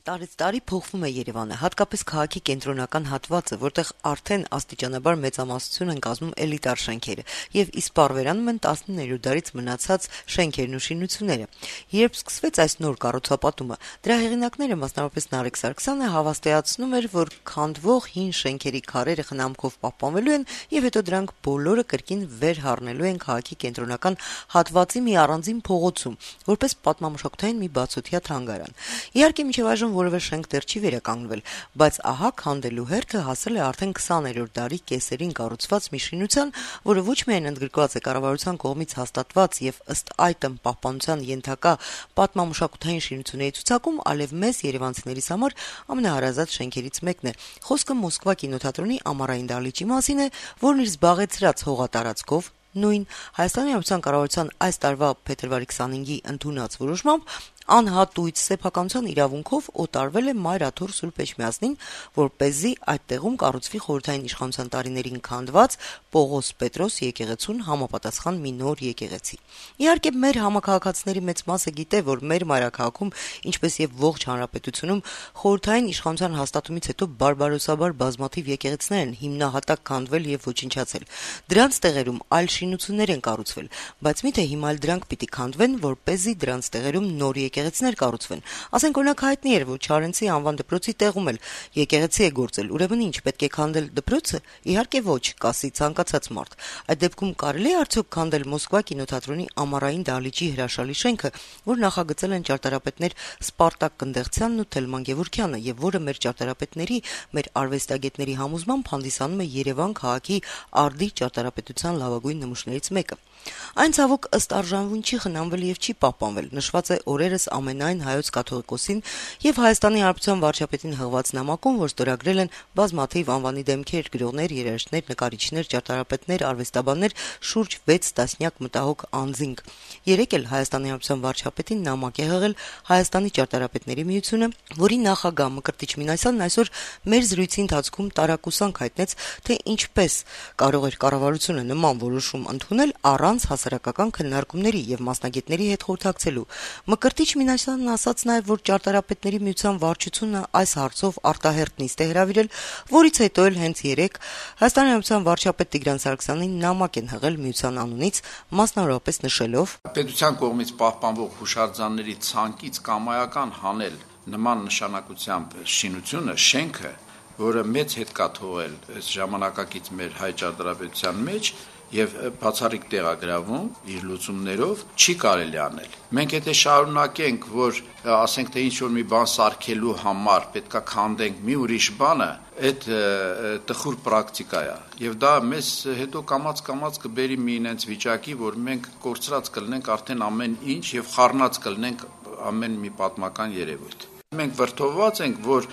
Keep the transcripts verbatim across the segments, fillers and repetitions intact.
Տարեց տարի փոխվում է Երևանը, հատկապես քաղաքի կենտրոնական հատվածը, որտեղ արդեն աստիճանաբար մեծամասնություն են կազմում էլիտար շենքերը, եւ իսպառ վերանում են տասնիններորդ դարից մնացած շենքերն ու շինությունները։ Երբ սկսվեց այս նոր կառուցապատումը, դրա հեղինակները, մասնավորապես Նարեկ Սարգսյանը, հավաստիացնում էր, որ քանդվող հին շենքերի քարերը խնամքով պահպանվելու են եւ հետո դրանք բոլորը կրկին վերհառնելու են քաղաքի կենտրոնական հատվածի մի առանձին փողոցում, որպես պատմամշակութային մի բացօթյա թանգարան։ Իհարկե, մինչև այժմ որևէ շենք դեռ չի վերականգնվել, բայց ահա քանդելու հերթը հասել է արդեն քսաներորդ դարի կեսերին կառուցված մի շինության, որը ոչ միայն ընդգրկված է կառավարության կողմից հաստատված եւ ըստ այդմ պահպանության ենթակա պատմամշակութային շինությունների ցուցակում, այլև մեզ երևանցիներիս համար ամենահարազատ շենքերից մեկն է։ Խոսքը Մոսկվա կինոթատրոնի ամառային դահլիճի մասին է, որն իր զբաղեցրած հողատարածքով նույն Հայաստանի Հանրապետության կառավարության այս տարվա փետրվարի քսանհինգի ընդունած որոշմամբ անհատույց սեփականության իրավունքով օտարվել է Մայր Աթոռ Սուրբ Էջմիածնին, որպեսզի այդ տեղում կառուցվի խորհրդային իշխանության տարիներին քանդված Պողոս Պետրոս եկեղեցուն համապատասխան մի նոր եկեղեցի։ Իհարկե, մեր համակարգացիների մեծ մասը գիտե, որ մեր մայրաքաղաքում, ինչպես եւ ողջ հանրապետությունում, խորհրդային իշխանության հաստատումից հետո բարբարոսաբար բազմաթիվ եկեղեցիներ են հիմնահատակ քանդվել եւ ոչնչացել։ Դրանց տեղերում այլ շինություններ են կառուցվել, բայց միթե հիմա էլ դրանք պիտի քանդվեն, որպեսզի դրանց տեղերում նոր եկեղեցիներ կառուցվեն։ Ասենք օրինակ հայտնի էր, որ Չարենցի անվան դպրոցի տեղում էլ եկեղեցի է գործել, ուրեմն ինչ, պետք է քանդել դպրոցը։ Իհարկե ոչ, կասի ցանկացած մարդ։ Այդ դեպքում կարելի է արդյոք քանդել Մոսկվա կինոթատրոնի ամառային դահլիճի հրաշալի շենքը, որ նախագծել են ճարտարապետներ Սպարտակ Կնդեղցյանն ու Թելման Գևորգյանը, եւ որը մեր ճարտարապետների, մեր արվեստագետների համոզմամբ հանդիսանում է Երևան քաղաքի արդի ճարտարապետության լավագույն նմուշներից մեկը։ Այն ցավոք ըստ արժանվուն չի խնամվել եւ չի պահպանվել։ Նշված է օրերս ամենայն հայոց կաթողիկոսին եւ Հայաստանի Հանրապետության վարչապետին հղված նամակում, որ ստորագրել են բազմաթիվ անվանի դեմքեր, գրողներ, երաժիշտներ, նկարիչներ, ճարտարապետներ, արվեստաբաններ, շուրջ վեց տասնյակ մտահոգ անձինք։ Երեկ էլ Հայաստանի Հանրապետության վարչապետին նամակ է հղել Հայաստանի ճարտարապետների միությունը, որի նախագահ Մկրտիչ Մինասյանն այսօր մեր զրույցի ընթացքում տարակուսանք հայտնեց, թե ինչպես կարող էր կառավարությունը նման որոշում ընդունել առանց հասարակական քննարկումների եւ մասնագետների հետ խորհրդակցելու։ Մկրտիչ Մինասյանն ասաց նաեւ, որ ճարտարապետների միության վարչությունը այս հարցով արտահերտ նիստ է հրավիրել, որից հետո էլ հենց երեկ Հայաստանի Հանրապետության վարչապետ Տիգրան Սարգսյանին նամակ են հղել միության անունից, մասնավորապես նշելով. Պետության կողմից պահպանվող հուշարձանների ցանկից կամայական հանել նման նշանակությամբ շինությունը, շենքը, որը մեծ հետ կա թողել այս ժամանակակից մեր հայ ճարտարապետության մեջ եւ բացառիկ տեղագրավում իր լուծումներով չի կարելի անել։ Մենք եթե շարունակենք, որ ասենք թե ինչ որ մի բան սարքելու համար պետքա քանդենք մի ուրիշ բանը, այդ տխուր պրակտիկա է եւ դա մեզ հետո կամած-կամած կբերի մի ինձ վիճակի, որ մենք կորցրած կլինենք արդեն ամեն ինչ եւ խառնած կլինենք ամեն մի պատմական երևույթ։ Մենք վրդովված ենք, որ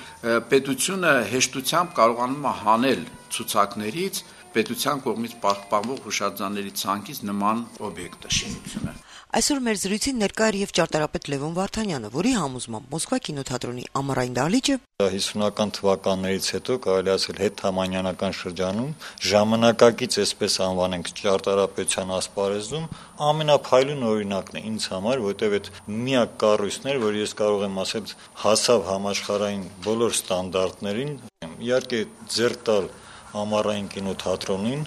պետությունը հեշտությամբ կարողանում է հանել ցուցակներից պետության կողմից պահպանվող հուշարձանների ցանկից նման օբյեկտը, շինությունը։ Այսօր մեր զրույցին ներկա էր եւ ճարտարապետ Լևոն Վարդանյանը, որի համոզմամբ Մոսկվա կինոթատրոնի ամառային դահլիճը հիսունական թվականներից հետո կարելի ասել հետհամանյանական շրջանում ժամանակակից, այսպես անվանենք, ճարտարապետության ասպարեզում ամենափայլուն օրինակն է ինձ համար, որտեղ այդ միակ կառույցն էր, որ ես կարող եմ ասել հասավ համաշխարհային բոլոր ստանդարտներին։ Իհարկե ձեռք տալ ամառային կինոթատրոնին,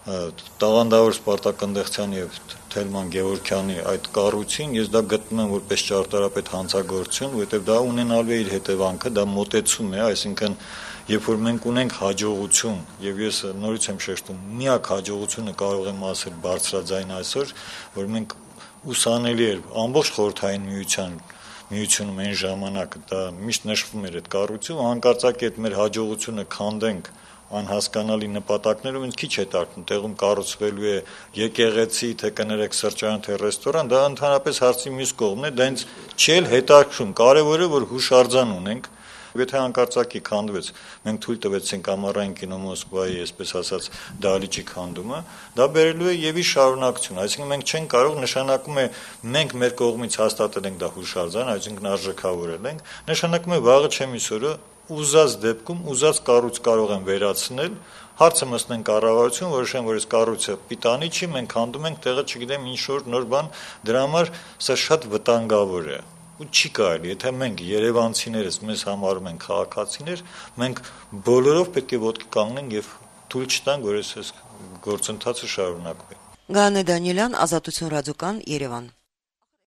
տաղանդավոր Սպարտակ Կնդեղցյանի եւ Թելման Գևորգյանի այդ կառույցին ես դա գտնում եմ որպես ճարտարապետ հանցագործություն, որովհետեւ դա ունենալու է իր հետևանքը, դա մոտեցում է, այսինքն երբ որ մենք ունենք հաջողություն եւ ես նորից եմ շեշտում, միակ հաջողությունը կարող եմ ասել բարձրաձայն այսօր, որ մենք ուսանելի էր ամբողջ խորհրդային միության միությունում այն ժամանակ դա միշտ նշվում էր այդ կառույցում, հանկարծակի այդ մեր հաջողությունը քանդենք անհասկանալի նպատակներով ինձ քիչ հետաքրքրում, տեղում կառուցվելու է եկեղեցի, թե կներեք սրճարան, թե ռեստորան, դա ընդհանրապես հարցի մյուս կողմն է, դա ինձ չի հետաքրքրում, կարևորը որ հուշարձան ունենք, եթե հանկարծակի քանդվեց, մենք թույլ տվեցինք ամառային կինո Մոսկվայի, այսպես ասած, դահլիճի քանդումը, դա բերելու է եւի շարունակություն, այսինքն մենք չենք կարող, նշանակում է մենք մեր կողմից հաստատել ենք դա հուշարձան, այսինքն արժեքավորել ենք, նշանակում է վաղը չեմ իսօրը ուզած դեպքում ուզած կառույց կարող են վերացնել, հարցը մտնեն կառավարություն, որոշեն, որ այս կառույցը պիտանի չի, մենք քանդում ենք տեղը, չգիտեմ, ինչ որ նոր բան, դրա համար սա շատ վտանգավոր է։ ու չի կարելի, եթե մենք երևանցիներս մեզ համարում են քաղաքացիներ, մենք բոլորով պետք է ոտքի կանգնենք եւ թույլ չտանք, որ այս գործընթացը շարունակվի։ Գանե Դանիելյան, Ազատություն ռադիոկան, Երևան։